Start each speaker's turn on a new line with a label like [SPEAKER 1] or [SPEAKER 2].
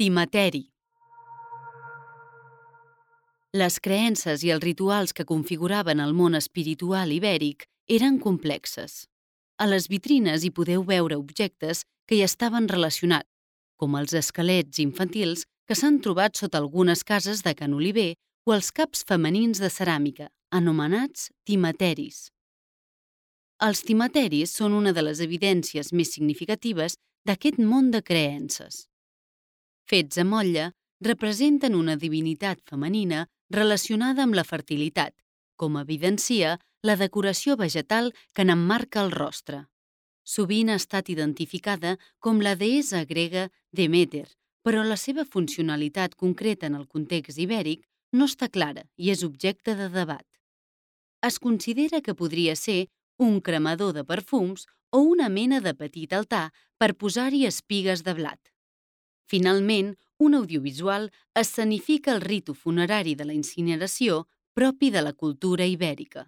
[SPEAKER 1] Timateri. Les creences i els rituals que configuraven el món espiritual ibèric eren complexes. A les vitrines hi podeu veure objectes que hi estaven relacionats, com els esquelets infantils que s'han trobat sota algunes cases de Can Oliver o els caps femenins de ceràmica, anomenats timateris. Els timateris són una de les evidències més significatives d'aquest món de creences. Fets a motlle, representen una divinitat femenina relacionada amb la fertilitat, com evidencia la decoració vegetal que n'emmarca el rostre. Sovint ha estat identificada com la deessa grega Demeter, però la seva funcionalitat concreta en el context ibèric no està clara i és objecte de debat. Es considera que podria ser un cremador de perfums o una mena de petit altar per posar-hi espigues de blat. Finalment, un audiovisual escenifica el ritu funerari de la incineració propi de la cultura ibèrica.